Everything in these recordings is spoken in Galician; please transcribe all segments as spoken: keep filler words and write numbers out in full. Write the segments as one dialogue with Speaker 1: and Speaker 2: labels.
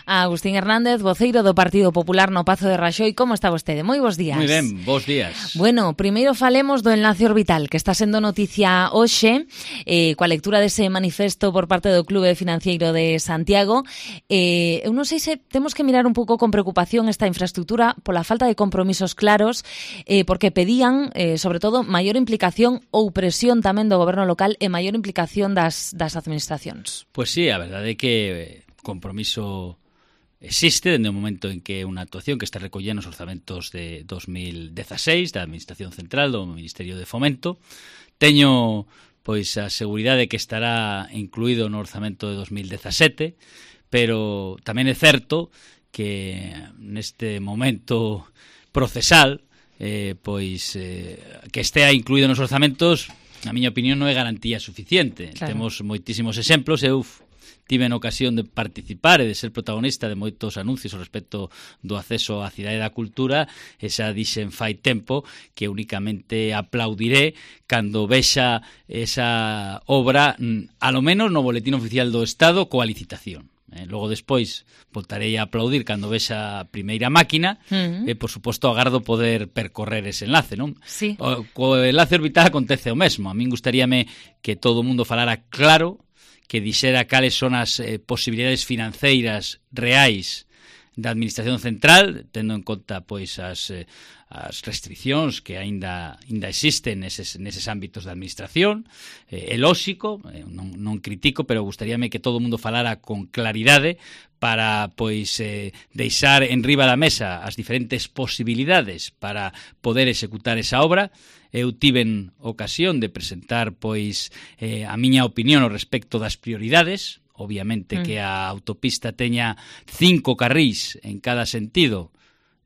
Speaker 1: a Agustín Hernández, voceiro do Partido Popular no Pazo de Raxoi. Como está vostede? Moi bons días.
Speaker 2: Moi ben, bons días.
Speaker 1: Bueno, primeiro falemos do enlace orbital, que está sendo noticia hoxe, eh, coa lectura dese manifesto por parte do Clube Financiero de Santiago. Eh, eu non sei se temos que mirar un pouco con preocupación esta infraestructura pola falta de compromisos claros, eh, porque pedían, eh, sobre todo, maior implicación ou presión tamén do goberno local e maior implicación das, das administracións.
Speaker 2: Pois sí, a verdade é que compromiso existe dende o momento en que unha actuación que está recollida nos orzamentos de dos mil dezaseis da Administración Central do Ministerio de Fomento. Teño pois a seguridade que estará incluído no orzamento de dos mil dezasete, pero tamén é certo que neste momento procesal eh, pois eh, que estea incluído nos orzamentos, na miña opinión, non é garantía suficiente. Claro. Temos moitísimos exemplos. Eu tive a ocasión de participar e de ser protagonista de moitos anuncios ao respecto do acceso á cidade da cultura, e xa dixen fai tempo que únicamente aplaudiré cando vexa esa obra, a lo menos no boletín oficial do Estado, coa licitación. Eh, logo despois voltarei a aplaudir cando vexa a primeira máquina. Uh-huh. E, por suposto, agardo poder percorrer ese enlace, non?
Speaker 1: Sí.
Speaker 2: O, co enlace orbital acontece o mesmo. A min gustaríame que todo o mundo falara claro, que dixera cales son as eh, posibilidades financeiras reais da Administración Central, tendo en conta pois as, eh, as restriccións que aínda aínda existen neses, neses ámbitos da Administración. Eh, é lóxico, eh, non, non critico, pero gustaríame que todo o mundo falara con claridade para pois eh, deixar en riba da mesa as diferentes posibilidades para poder executar esa obra. Eu tiven ocasión de presentar pois eh, a miña opinión ao respecto das prioridades. Obviamente mm. que a autopista teña cinco carrís en cada sentido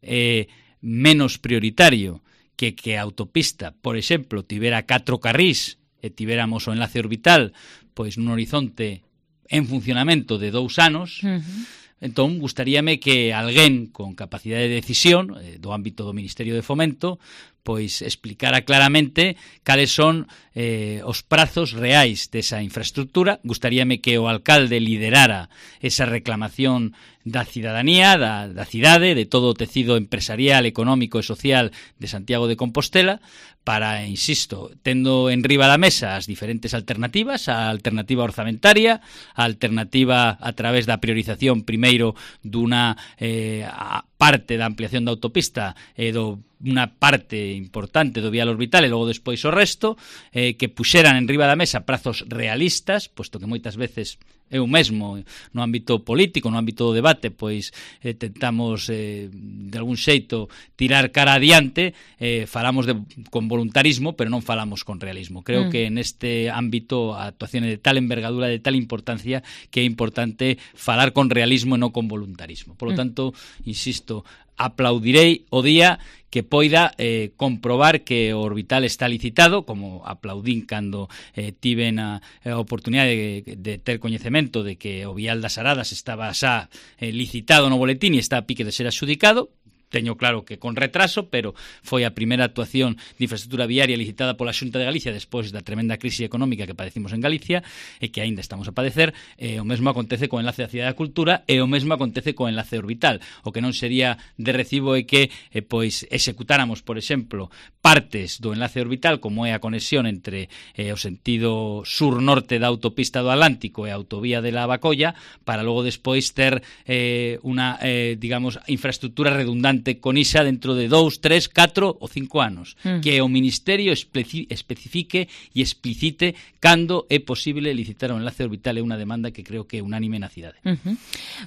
Speaker 2: é eh, menos prioritario que que a autopista, por exemplo, tivera catro carrís e tivéramos o enlace orbital pois nun horizonte en funcionamento de dous anos. Mm-hmm. Entón, gustaríame que alguén con capacidade de decisión eh, do ámbito do Ministerio de Fomento pois explicara claramente cales son eh, os prazos reais desa infraestructura. Gustaríame que o alcalde liderara esa reclamación da cidadanía, da, da cidade, de todo o tecido empresarial, económico e social de Santiago de Compostela, para, insisto, tendo en riba da mesa as diferentes alternativas, a alternativa orzamentaria, a alternativa a través da priorización primeiro dunha eh, parte da ampliación da autopista e do unha parte importante do vial orbital e logo despois o resto, eh, que puxeran en riba da mesa prazos realistas, posto que moitas veces eu mesmo no ámbito político, no ámbito do debate, pois eh, tentamos eh, de algún xeito tirar cara adiante, eh, falamos de, con voluntarismo, pero non falamos con realismo. Creo mm. que neste ámbito a actuación é de tal envergadura, de tal importancia, que é importante falar con realismo e non con voluntarismo. Por lo tanto, insisto, aplaudirei o día que poida eh, comprobar que o orbital está licitado, como aplaudín cando eh, tiven a, a oportunidade de, de ter coñecemento de que o vial das Aradas estaba xa eh, licitado no boletín e está a pique de ser adxudicado. Teño claro que con retraso, pero foi a primeira actuación de infraestructura viaria licitada pola Xunta de Galicia despois da tremenda crise económica que padecimos en Galicia e que aínda estamos a padecer. E o mesmo acontece co enlace da Cidade da Cultura e o mesmo acontece co enlace orbital. O que non sería de recibo é que eh, pois executáramos, por exemplo, partes do enlace orbital, como é a conexión entre eh, o sentido sur-norte da autopista do Atlántico e a autovía de la Bacolla, para logo despois ter eh, unha, eh, digamos, infraestructura redundante con isa dentro de dous, tres, catro ou cinco anos. Mm. Que o Ministerio especi- especifique e explicite cando é posible licitar o enlace orbital. É unha demanda que creo que é unánime na cidade.
Speaker 1: Uh-huh.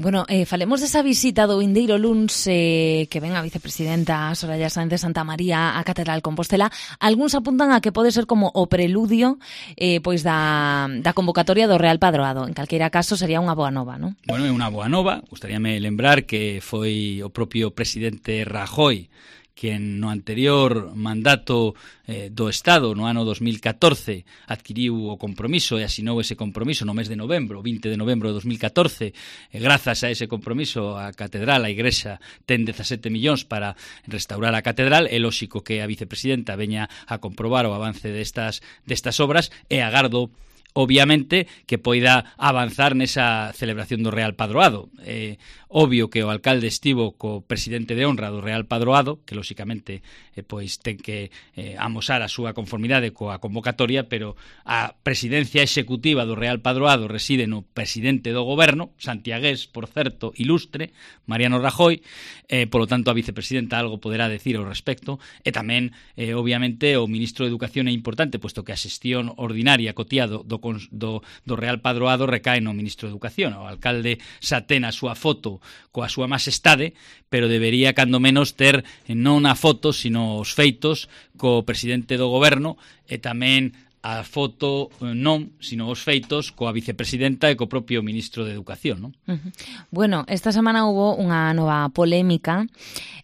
Speaker 1: Bueno, eh, falemos desa visita do vindeiro luns eh, que ven a vicepresidenta Soraya Sáenz de Santamaría á Catedral Compostela. Algúns apuntan a que pode ser como o preludio eh, pois da, da convocatoria do Real Padroado. En calqueira caso sería unha boa nova, non?
Speaker 2: Bueno, é unha boa nova. Gustaríame lembrar que foi o propio presidente Rajoy que no anterior mandato eh, do Estado, no ano dos mil catorce, adquiriu o compromiso e asinou ese compromiso no mes de novembro, vinte de novembro de dos mil catorce. E grazas a ese compromiso, a Catedral, a Igrexa, ten dezasete millóns para restaurar a Catedral. É lóxico que a vicepresidenta veña a comprobar o avance destas, destas obras e agardo obviamente que poida avanzar nesa celebración do Real Padroado. Eh, obvio que o alcalde estivo co presidente de honra do Real Padroado, que lóxicamente eh, pois ten que eh, amosar a súa conformidade coa convocatoria, pero a presidencia executiva do Real Padroado reside no presidente do goberno, santiagués, por certo, ilustre, Mariano Rajoy, eh, polo tanto a vicepresidenta algo poderá decir ao respecto, e tamén, eh, obviamente, o ministro de Educación é importante, posto que a xestión ordinaria cotiado do Do, do Real Padroado recae no ministro de Educación. O alcalde xa ten a súa foto coa súa majestade, pero debería, cando menos, ter non a foto, sino os feitos co presidente do goberno e tamén a foto non, sino os feitos coa vicepresidenta e co propio ministro de Educación, non?
Speaker 1: Uh-huh. Bueno, esta semana hubo unha nova polémica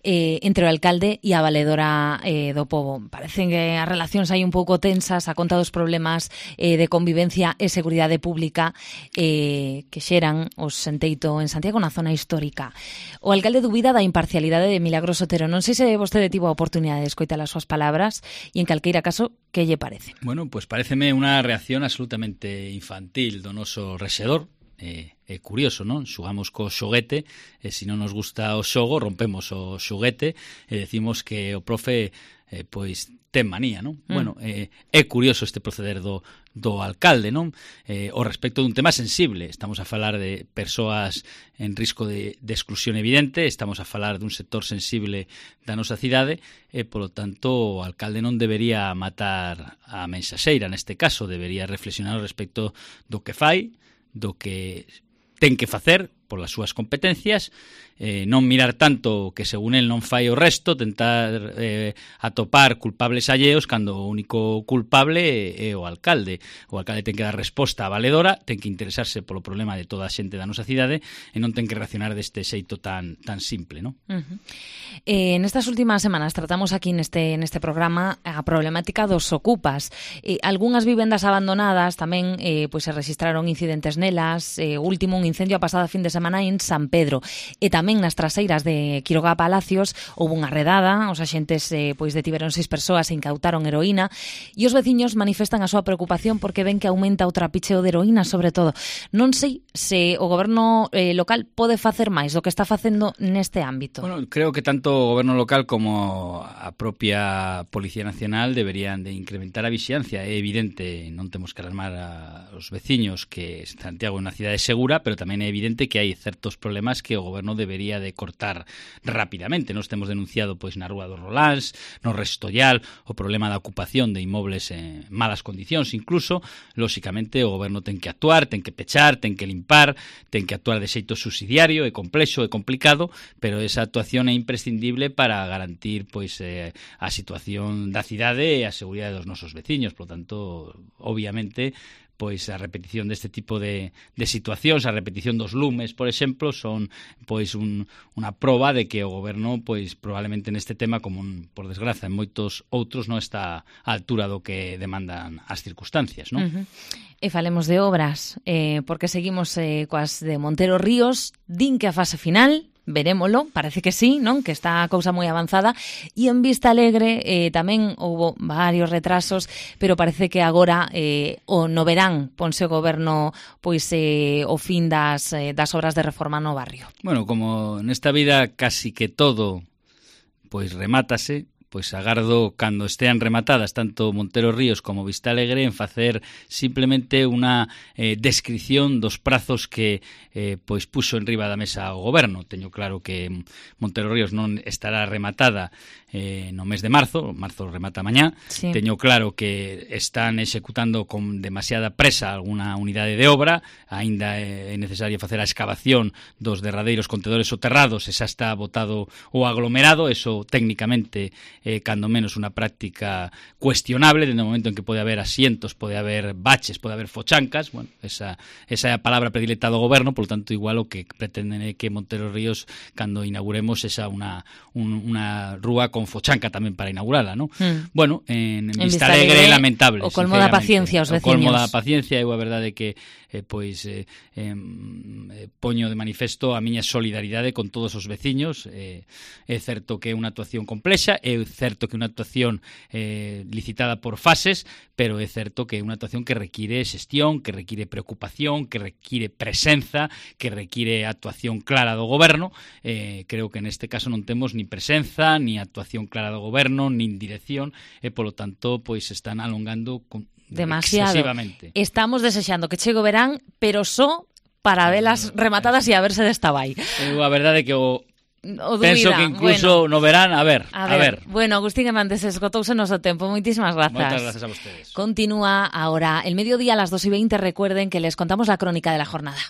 Speaker 1: eh, entre o alcalde e a valedora eh, do pobo. Parecen que as relacións hai un pouco tensas a conta dos problemas eh, de convivencia e seguridade pública eh, que xeran os Senteito en Santiago, na zona histórica. O alcalde dubida da imparcialidade de Milagros Otero. Non sei se vostede tivo a oportunidade de escoitar as súas palabras e, en calqueira caso, que lle parece?
Speaker 2: Bueno, pois paréceme unha reacción absolutamente infantil do noso rexedor. É, é curioso, non? Xugamos co xoguete e se non nos gusta o xogo rompemos o xoguete e decimos que o profe eh, pois ten manía, non? Mm. Bueno, eh, é curioso este proceder do, do alcalde, non? Eh, o respecto dun tema sensible. Estamos a falar de persoas en risco de, de exclusión evidente, estamos a falar dun sector sensible da nosa cidade e, polo tanto, o alcalde non debería matar a mensaxeira neste caso, debería reflexionar ao respecto do que fai, do que ten que facer polas súas competencias, eh, non mirar tanto que según el non fai o resto, tentar eh, atopar culpables alleos cando o único culpable é, é o alcalde. O alcalde ten que dar resposta a valedora, ten que interesarse polo problema de toda a xente da nosa cidade e non ten que reaccionar deste xeito tan tan simple, non?
Speaker 1: Uh-huh. Eh, nestas últimas semanas tratamos aquí neste neste programa a problemática dos ocupas. Eh, algunhas vivendas abandonadas tamén eh, pois se registraron incidentes nelas, eh, último un incendio a pasada fin de semana en San Pedro e tamén nas traseiras de Quiroga Palacios houve unha redada, os axentes eh, pois detiveron seis persoas e incautaron heroína e os veciños manifestan a súa preocupación porque ven que aumenta o trapicheo de heroína, sobre todo. Non sei se o goberno eh, local pode facer máis do que está facendo neste ámbito.
Speaker 2: Bueno, creo que tanto o goberno local como a propia Policía Nacional deberían de incrementar a vixiancia. É evidente, non temos que alarmar a os veciños que Santiago é unha cidade segura, pero tamén é evidente que hai certos problemas que o goberno debería de cortar rapidamente. Nos temos denunciado pois na Rúa dos Roláns, no Restollal, o problema da ocupación de inmobles en malas condicións, incluso, lóxicamente, o goberno ten que actuar, ten que pechar, ten que limpar, ten que actuar de xeito subsidiario, é complexo, é complicado, pero esa actuación é imprescindible para garantir pois eh, a situación da cidade e a seguridade dos nosos veciños. Por lo tanto, obviamente, pois a repetición deste tipo de, de situacións, a repetición dos lumes, por exemplo, son pois un, unha proba de que o goberno pois probablemente neste tema, como un, por desgraza en moitos outros, non está á altura do que demandan as circunstancias, non?
Speaker 1: Uh-huh. E falemos de obras, eh, porque seguimos eh, coas de Montero Ríos, din que a fase final, verémolo, parece que sí, non? Que está a cousa moi avanzada, e en Vista Alegre eh, tamén houbo varios retrasos, pero parece que agora eh, o no verán ponse o goberno pois eh, o fin das, eh, das obras de reforma no barrio.
Speaker 2: Bueno, como nesta vida casi que todo pois remátase, pois agardo cando estean rematadas tanto Montero Ríos como Vista Alegre en facer simplemente unha eh, descripción dos prazos que eh, pois puxo en riba da mesa o goberno. Teño claro que Montero Ríos non estará rematada eh, no mes de marzo, marzo remata mañá. Sí. Teño claro que están executando con demasiada presa alguna unidade de obra, aínda é necesario facer a excavación dos derradeiros contedores soterrados e xa está botado o aglomerado, eso técnicamente eh, cando menos unha práctica cuestionable, dende o momento en que pode haber asientos, pode haber baches, pode haber fochancas. Bueno, esa, esa é a palabra predileta do goberno, por tanto, igual o que pretenden é que Montero Ríos, cando inauguremos, esa unha, un, unha rúa con fochanca tamén para inaugurala, ¿no? Mm. Bueno, en, en, en Vista Alegre é lamentable.
Speaker 1: O colmo da paciencia os veciños.
Speaker 2: O colmo da paciencia, eu a verdade que eh, pois eh, eh, poño de manifesto a miña solidaridade con todos os veciños. Eh, é certo que é unha actuación complexa, é certo que unha actuación eh, licitada por fases, pero é certo que é unha actuación que require xestión, que require preocupación, que require presenza, que require actuación clara do goberno. Eh, creo que neste caso non temos ni presenza, ni actuación clara do goberno, nin dirección, e polo tanto pois están alongando con,
Speaker 1: demasiado.
Speaker 2: Excesivamente.
Speaker 1: Estamos desexando que chegue o verán, pero só para velas rematadas e a verse desta vai.
Speaker 2: Eu a verdade é que o
Speaker 1: O
Speaker 2: penso
Speaker 1: dúbida.
Speaker 2: que incluso
Speaker 1: bueno,
Speaker 2: no verán, a ver,
Speaker 1: a
Speaker 2: a
Speaker 1: ver.
Speaker 2: ver.
Speaker 1: Bueno, Agustín Hernández, esgotouse o noso tempo. Moitísimas grazas.
Speaker 2: Moitas grazas a vostedes.
Speaker 1: Continúa ahora el mediodía a las dos y veinte. Recuerden que les contamos la crónica de la jornada.